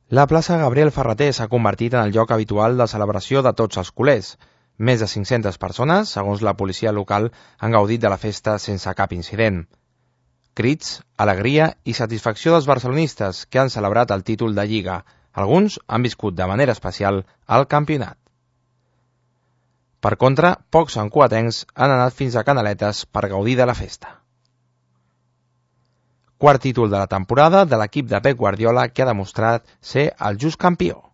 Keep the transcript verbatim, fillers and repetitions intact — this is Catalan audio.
La plaça Gabriel Ferrater s'ha convertit en el lloc habitual de celebració de tots els culers. Més de cinc-centes persones, segons la policia local, han gaudit de la festa sense cap incident. Crits, alegria i satisfacció dels barcelonistes que han celebrat el títol de Lliga. Alguns han viscut de manera especial el campionat. Per contra, pocs santcugatencs han anat fins a Canaletes per gaudir de la festa. Quart títol de la temporada de l'equip de Pep Guardiola que ha demostrat ser el just campió.